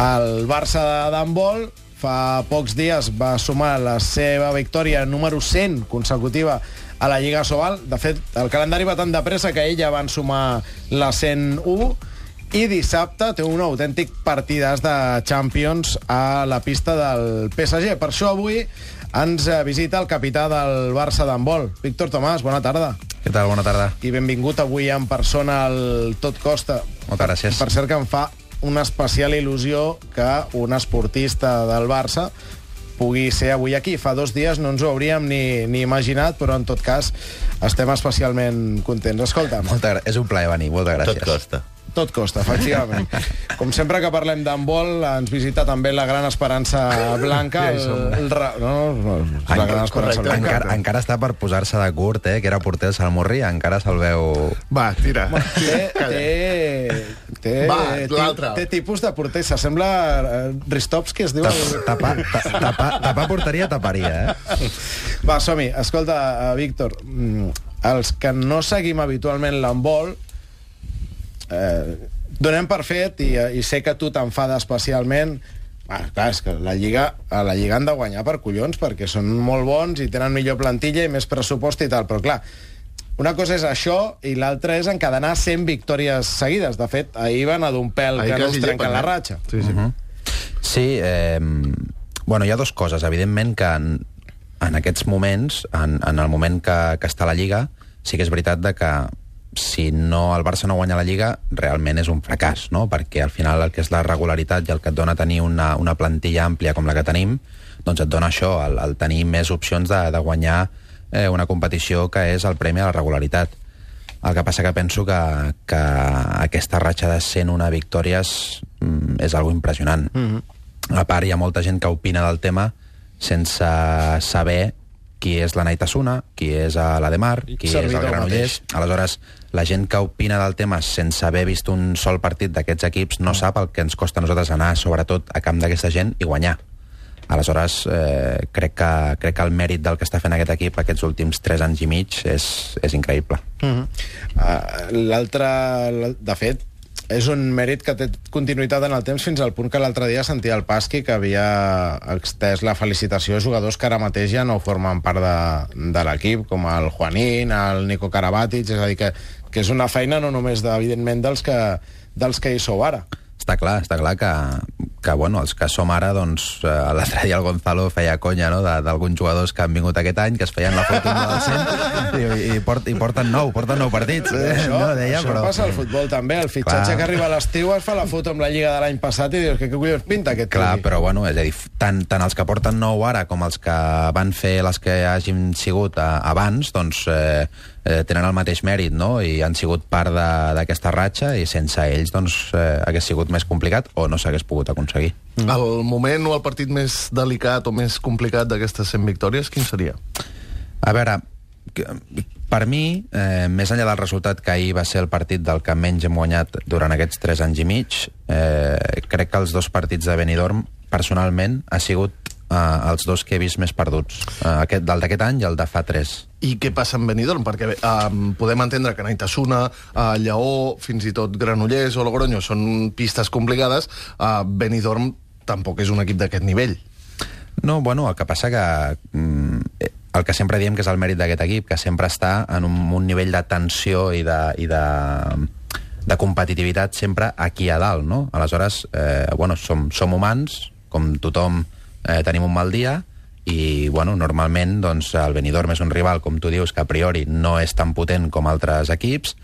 El Barça d'handbol fa pocs dies va sumar la seva victòria número 100 consecutiva a la Lliga Sobal. De fet, el calendari va tan de pressa que ella van sumar la 101 i dissabte té un autèntic partidàs de Champions a la pista del PSG. Per això avui ens visita el capità del Barça d'handbol, Víctor Tomàs. Bona tarda. Què tal? Bona tarda. I benvingut avui en persona al Tot Costa. Moltes gràcies. Per cert, que em fa una especial il·lusió que un esportista del Barça pugui ser avui aquí. Fa 2 dies no ens ho hauríem ni imaginat, però en tot cas estem especialment contents. Escolta'm. És un plaer venir, moltes gràcies. Tot costa. Tot costa, efectivament. Com sempre que parlem d'handbol, ens visita també la gran Esperança Blanca. La gran Esperança Blanca. Encara està per posar-se de curt, que era porter del Salmurri, encara se'l veu... Va, tira. Té tipus de porter, s'assembla Ristovski, es diu... Tapar porteria, taparia, Va, som-hi. Escolta, Víctor, els que no seguim habitualment l'handbol, donem per fet, i sé que tu t'enfada especialment, clar, és que a la Lliga han de guanyar per collons, perquè són molt bons i tenen millor plantilla i més pressupost i tal, però clar, una cosa és això i l'altra és encadenar 100 victòries seguides. De fet, ahir van a d'un pèl que no us trenquen la ratxa. Sí, bueno, hi ha 2 coses. Evidentment que en aquests moments, en el moment que està la Lliga, sí que és veritat de que si no el Barça no guanya la Lliga, realment és un fracàs, no? Perquè al final el que és la regularitat i el que et dona tenir una plantilla àmplia com la que tenim, doncs et dona això, el tenir més opcions de guanyar una competició que és el premi a la regularitat. El que passa que penso que aquesta ratxa de 101 victòries és algo impressionant. A part, hi ha molta gent que opina del tema sense saber qui és la Naitasuna, qui és l'Ademar, qui és el Granollers. Aleshores, la gent que opina del tema sense haver vist un sol partit d'aquests equips no sap el que ens costa a nosaltres anar, sobretot, a camp d'aquesta gent i guanyar. Aleshores, crec que el mèrit del que està fent aquest equip aquests últims 3 anys i mig és increïble. L'altre, de fet, és un mèrit que té continuïtat en el temps fins al punt que l'altre dia sentia el Pasqui que havia extès la felicitació a jugadors que ara mateix ja no formen part de l'equip, com el Juanín, el Nico Karabatic, és a dir, que és una feina no només, evidentment, dels que hi sou ara. Està clar que bueno, els que som ara, doncs, l'altre dia el Gonzalo feia conya, no?, d'alguns jugadors que han vingut aquest any, que es feien la foto del 100 i porten 9 partits. Això passa al futbol també, el fitxatge que arriba a l'estiu es fa la foto amb la Lliga de l'any passat i dius, què collons pinta aquest? Clar, però bueno, és a dir, tant els que porten 9 ara com els que van fer les que hagin sigut abans, doncs tenen el mateix mèrit, no?, i han sigut part d'aquesta ratxa i sense ells, doncs, hagués sigut més complicat o no s'hagués pogut aconseguir. El moment o el partit més delicat o més complicat d'aquestes 100 victòries, quin seria? A veure, per mi, més enllà del resultat que ahir va ser el partit del que menys hem guanyat durant aquests 3 anys i mig, crec que els 2 partits de Benidorm, personalment, ha sigut els 2 que he vist més perduts. El d'aquest any i el de fa 3. I què passa amb Benidorm? Perquè podem entendre que Naitasuna, Lleó, fins i tot Granollers o Logroño són pistes complicades. Benidorm tampoc és un equip d'aquest nivell. No, bueno, el que passa que el que sempre diem que és el mèrit d'aquest equip, que sempre està en un nivell de tensió i de competitivitat sempre aquí a dalt, no? Aleshores, bueno, som humans, com tothom tenim un mal dia, i bueno, normalment doncs, el Benidorm és un rival, com tu dius, que a priori no és tan potent com altres equips,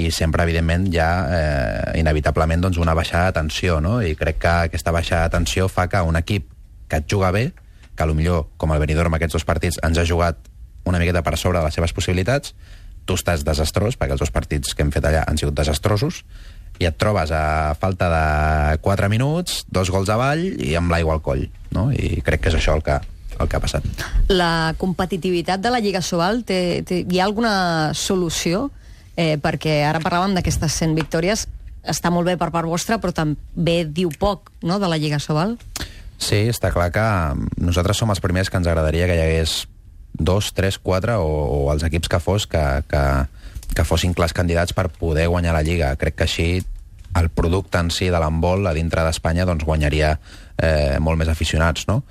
i sempre, evidentment, hi ha inevitablement doncs, una baixada de tensió, no? I crec que aquesta baixada de tensió fa que un equip que et juga bé, que potser, com el Benidorm, aquests 2 partits ens ha jugat una miqueta per sobre de les seves possibilitats, tu estàs desastrós, perquè els 2 partits que hem fet allà han sigut desastrosos, i et trobes a falta de 4 minuts, 2 gols avall i amb l'aigua al coll, no? I crec que és això el que ha passat. La competitivitat de la Lliga Sobal, hi ha alguna solució? Perquè ara parlàvem d'aquestes 100 victòries, està molt bé per part vostra, però també diu poc, no?, de la Lliga Sobal. Sí, està clar que nosaltres som els primers que ens agradaria que hi hagués 2, 3, 4 o els equips que fos que fossin clars candidats per poder guanyar la Lliga. Crec que així el producte en si de l'handbol a dintre d'Espanya doncs, guanyaria molt més aficionats, no?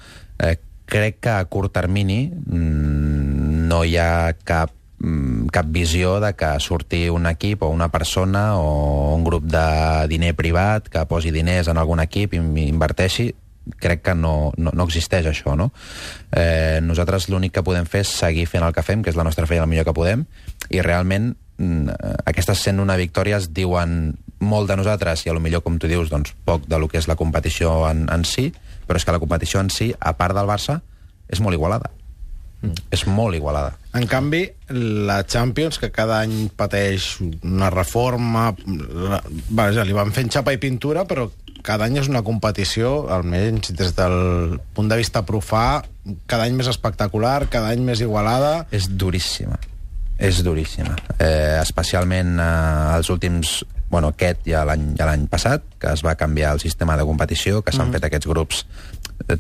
Crec que a curt termini no hi ha cap visió de que surti un equip o una persona o un grup de diner privat que posi diners en algun equip i inverteixi. Crec que no existeix això, no? Nosaltres l'únic que podem fer és seguir fent el que fem, que és la nostra feina el millor que podem, i realment aquestes 101 victòries diuen molt de nosaltres i a lo millor, com tu dius, doncs poc de lo que és la competició en si, però és que la competició en si, a part del Barça, és molt igualada. És molt igualada. En canvi, la Champions, que cada any pateix una reforma, li van fent xapa i pintura, però cada any és una competició, almenys des del punt de vista profà, cada any més espectacular, cada any més igualada. És duríssima. És duríssima. Especialment els últims... Bueno, aquest ja l'any passat, que es va canviar el sistema de competició, que s'han fet aquests grups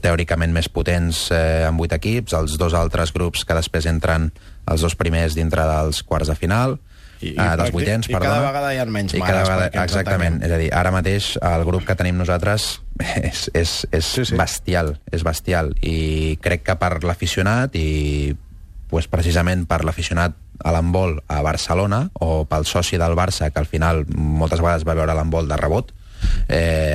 teòricament més potents amb 8 equips, els 2 altres grups que després entren els 2 primers dintre dels quarts de final, dels vuitens, perdona. I cada vegada hi ha menys mares. Exactament, és a dir, ara mateix el grup que tenim nosaltres és bestial, és bestial, i crec que per l'aficionat i pues, precisament per l'aficionat a l'handbol a Barcelona o pel soci del Barça, que al final moltes vegades va veure l'handbol de rebot,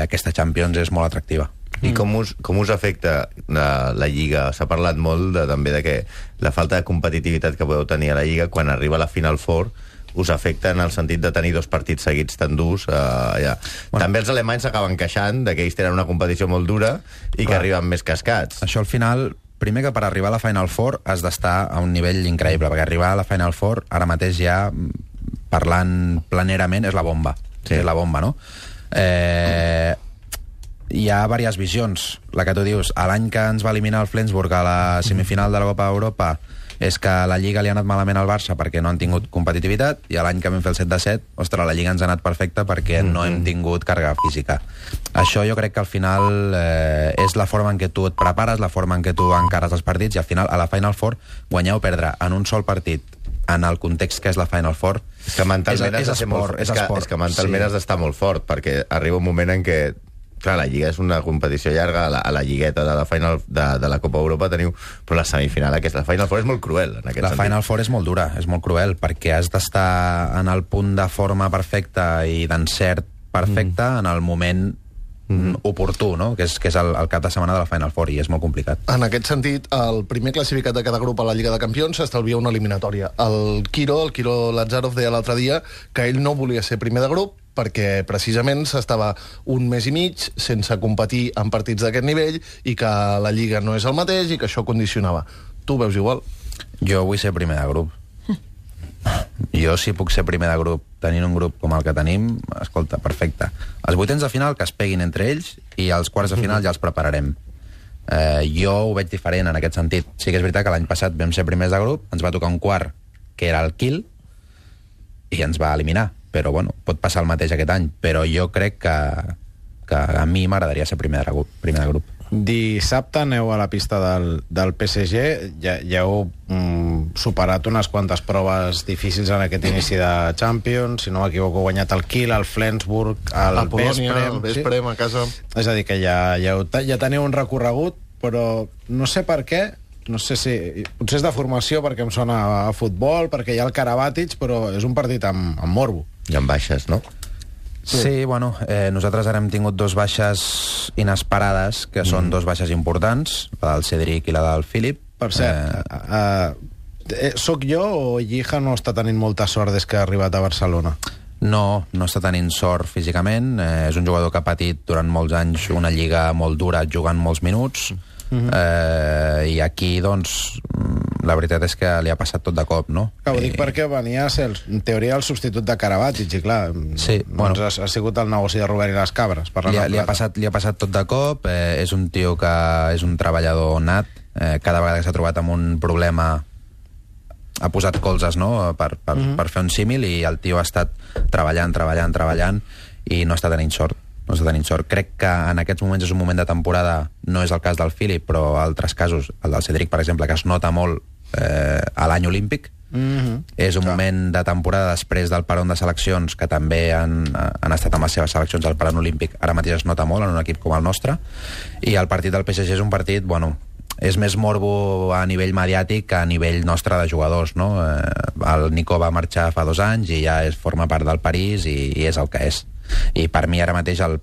aquesta Champions és molt atractiva. I com us afecta la Lliga? S'ha parlat molt també de que la falta de competitivitat que podeu tenir a la Lliga quan arriba a la Final Four us afecta en el sentit de tenir 2 partits seguits tan durs allà. Bueno, també els alemanys s'acaben queixant de que ells tenen una competició molt dura i que arriben més cascats. Això al final, primer que per arribar a la Final Four has d'estar a un nivell increïble, perquè arribar a la Final Four ara mateix ja, parlant planerament, és la bomba. Sí. És la bomba, no? Hi ha diverses visions. La que tu dius, l'any que ens va eliminar el Flensburg a la semifinal de la Copa d'Europa és que la Lliga li ha anat malament al Barça perquè no han tingut competitivitat, i l'any que vam fer el 7-7, ostres, la Lliga ens ha anat perfecta perquè no hem tingut càrrega física. Això jo crec que al final és la forma en què tu et prepares, la forma en què tu encares els partits, i al final, a la Final Four, guanyar o perdre en un sol partit en el context que és la Final Four és que mentalment has d'estar molt fort, perquè arriba un moment en què clar, la Lliga és una competició llarga, a la lligueta de la Final de la Copa Europa teniu, però la semifinal aquesta, la Final Four és molt cruel en aquest sentit. La Final Four és molt dura, és molt cruel, perquè has d'estar en el punt de forma perfecta i d'encert perfecte en el moment oportú, no? Que és el cap de setmana de la Final Four, i és molt complicat. En aquest sentit, el primer classificat de cada grup a la Lliga de Campions s'estalvia una eliminatòria. El Quiro Lazarov, deia l'altre dia que ell no volia ser primer de grup perquè precisament s'estava un mes i mig sense competir en partits d'aquest nivell i que la Lliga no és el mateix i que això condicionava. Tu veus igual? Jo vull ser primer de grup. Jo, si puc ser primer de grup tenint un grup com el que tenim, escolta, perfecte. Els vuitens de final que es peguin entre ells i els quarts de final ja els prepararem. Jo ho veig diferent en aquest sentit. Sí que és veritat que l'any passat vam ser primers de grup, ens va tocar un quart que era el Kiel i ens va eliminar, però bueno, pot passar el mateix aquest any, però jo crec que a mi m'agradaria ser primer de grup. Dissabte aneu a la pista del PSG, ja heu superat unes quantes proves difícils en aquest inici de Champions, si no m'equivoco, guanyat el Kiel, el Flensburg, el Vesprem a casa. És a dir, que ja teniu un recorregut, però no sé per què, no sé si potser és de formació perquè em sona a futbol, perquè hi ha el Karabatic, però és un partit amb morbo. I amb baixes, no? Sí, bueno, nosaltres ara hem tingut 2 baixes inesperades, que són 2 baixes importants, la del Cedric i la del Philip. Per cert, soc jo o Llija no està tenint molta sort des que ha arribat a Barcelona? No està tenint sort físicament, és un jugador que ha patit durant molts anys una lliga molt dura jugant molts minuts, i aquí, doncs, la veritat és que li ha passat tot de cop, no? Ho dic perquè venia a ser, en teoria, el substitut de Karabatic, i clar, sí, bueno, ha sigut el negoci de Robert i les cabres. Li ha passat tot de cop, és un tio que és un treballador nat, cada vegada que s'ha trobat amb un problema ha posat colzes, no?, per fer un símil, i el tio ha estat treballant, i no està tenint sort. Crec que en aquests moments és un moment de temporada, no és el cas del Philip, però altres casos, el del Cedric, per exemple, que es nota molt a l'any olímpic, És un moment de temporada després del peron de seleccions, que també han estat amb les seves seleccions al peron olímpic. Ara mateix es nota molt en un equip com el nostre. I el partit del PSG és un partit, bueno, és més morbo a nivell mediàtic que a nivell nostre de jugadors, no? El Nico va marxar fa 2 anys i ja forma part del París i és el que és. I per mi ara mateix el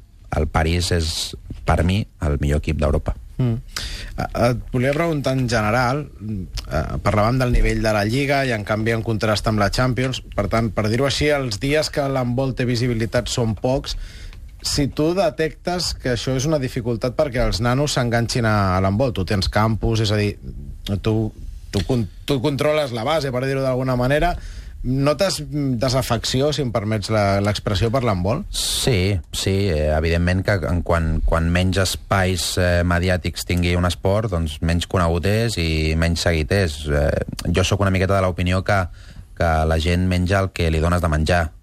París és, per mi, el millor equip d'Europa. Et volia preguntar en general, parlàvem del nivell de la Lliga i en canvi en contrast amb la Champions, per tant, per dir-ho així, els dies que l'handbol té visibilitat són pocs. Si tu detectes que això és una dificultat perquè els nanos s'enganxin a l'handbol, tu tens campus, és a dir, tu controles la base, per dir-ho d'alguna manera, notes desafecció, si em permets l'expressió, per l'handbol? Sí, evidentment que quan menys espais mediàtics tingui un esport, doncs menys conegut és i menys seguit és. Jo sóc una miqueta de l'opinió que la gent menja el que li dones de menjar.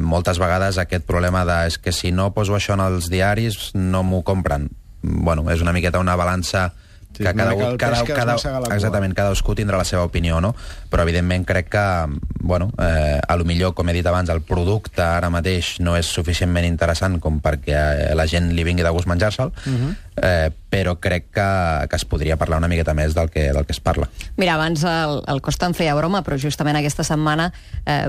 Moltes vegades aquest problema de és que si no poso això en els diaris no m'ho compren. Bueno, és una miqueta una balança que cadascú tindrà la seva opinió, no? Però evidentment crec que, bueno, a lo millor, com he dit abans, el producte ara mateix no és suficientment interessant com perquè la gent li vingui de gust menjar-se'l, però crec que es podria parlar una miqueta més del que es parla. Mira, abans el Costa en feia broma, però justament aquesta setmana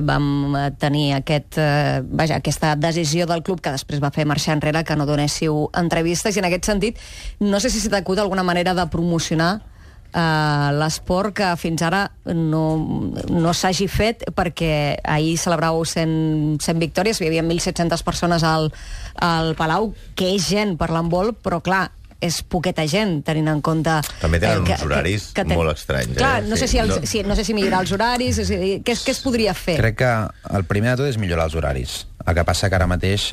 vam tenir aquesta decisió del club que després va fer marxar enrere, que no donéssiu entrevistes, i en aquest sentit no sé si s'ha acut alguna manera de promocionar l'esport que fins ara no s'hagi fet, perquè ahir celebràveu 100 victòries, hi havia 1.700 persones al Palau, que és gent per l'handbol, però clar, és poqueta gent, tenint en compte... També tenen uns horaris molt estranys. Clar, no sé si millorar els horaris, què es podria fer? Crec que el primer de tot és millorar els horaris. El que passa que ara mateix...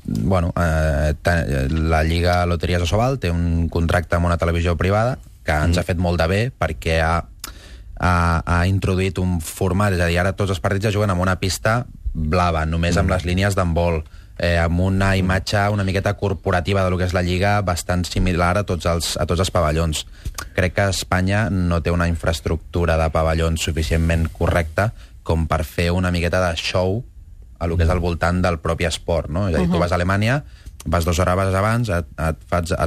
la Lliga Loteries Asobal té un contracte amb una televisió privada que ens ha fet molt de bé perquè ha introduït un format, és a dir, ara tots els partits es juguen amb una pista blava, només amb les línies d'handbol, amb una imatge una miqueta corporativa de lo que és la Lliga bastant similar a tots els pavellons. Crec que Espanya no té una infraestructura de pavellons suficientment correcta com per fer una miqueta de show a lo que és al voltant del propi esport, no? És a dir, tu vas a Alemanya, vas 2 hores abans, et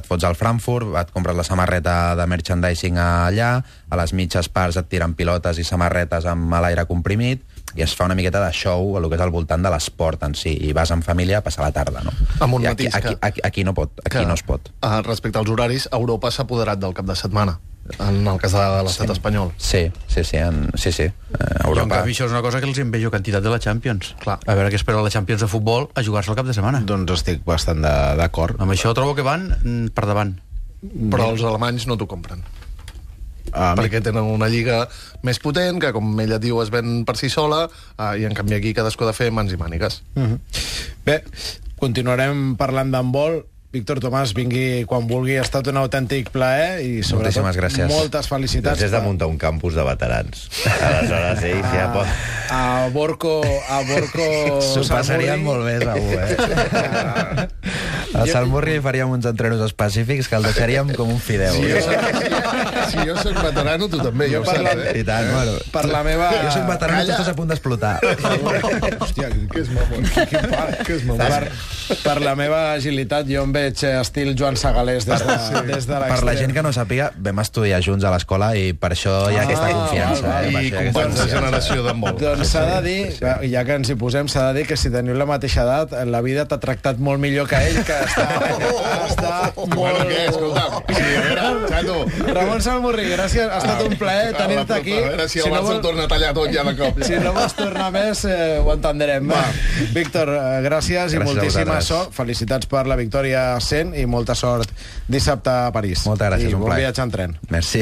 fots al Frankfurt, et compres la samarreta de merchandising allà, a les mitges parts et tiren pilotes i samarretes amb l'aire comprimit, i es fa una miqueta de show a lo que és al voltant de l'esport en si, i vas en família a passar la tarda, no? I aquí no es pot. Respecte als horaris, Europa s'ha apoderat del cap de setmana, en el cas de l'estat espanyol. Sí. Europa. En canvi, això és una cosa que els envejo quantitat de la Champions. Clar. A veure què espera la Champions de futbol a jugar-se al cap de setmana. Doncs estic bastant d'acord. Amb això trobo que van per davant. Però els alemanys no t'ho compren. Perquè tenen una lliga més potent, que com ella diu es ven per si sola, i en canvi aquí cadascú ha de fer mans i mànigues. Bé, continuarem parlant d'handbol. Víctor Tomàs, vingui quan vulgui, ha estat un autèntic plaer i sobretot moltes felicitats. Has de muntar un campus de veterans. Aleshores, ells ja pot... A Borco s'ho passarien molt bé, segur, A Salmurri faríem uns entrenos específics que el deixaríem com un fideu. Si jo soc veterano, tu també, ja ho saps, I tant, bueno. Per la meva... Jo soc veterano i tu estàs a punt d'explotar. Hòstia, que és mamon. Per la meva agilitat, jo em veig estil Joan Segalés des de l'extrem. Per la gent que no sàpiga, vam estudiar junts a l'escola i per això hi ha aquesta confiança. I companys de generació d'handbol. Doncs s'ha de dir, ja que ens hi posem, s'ha de dir que si teniu la mateixa edat, la vida t'ha tractat molt millor que ell, que està molt... Bueno, què? Escolta, Ramon Salmurri, gràcies, ha estat un plaer tenir-te aquí. A veure si el Barça torna a tallar tot ja de cop. Si no vols tornar més, ho entendrem. Víctor, gràcies i moltíssima sort. Felicitats per la victòria 100 i molta sort dissabte a París. Moltes gràcies, un plaer. I bon viatge en tren. Merci.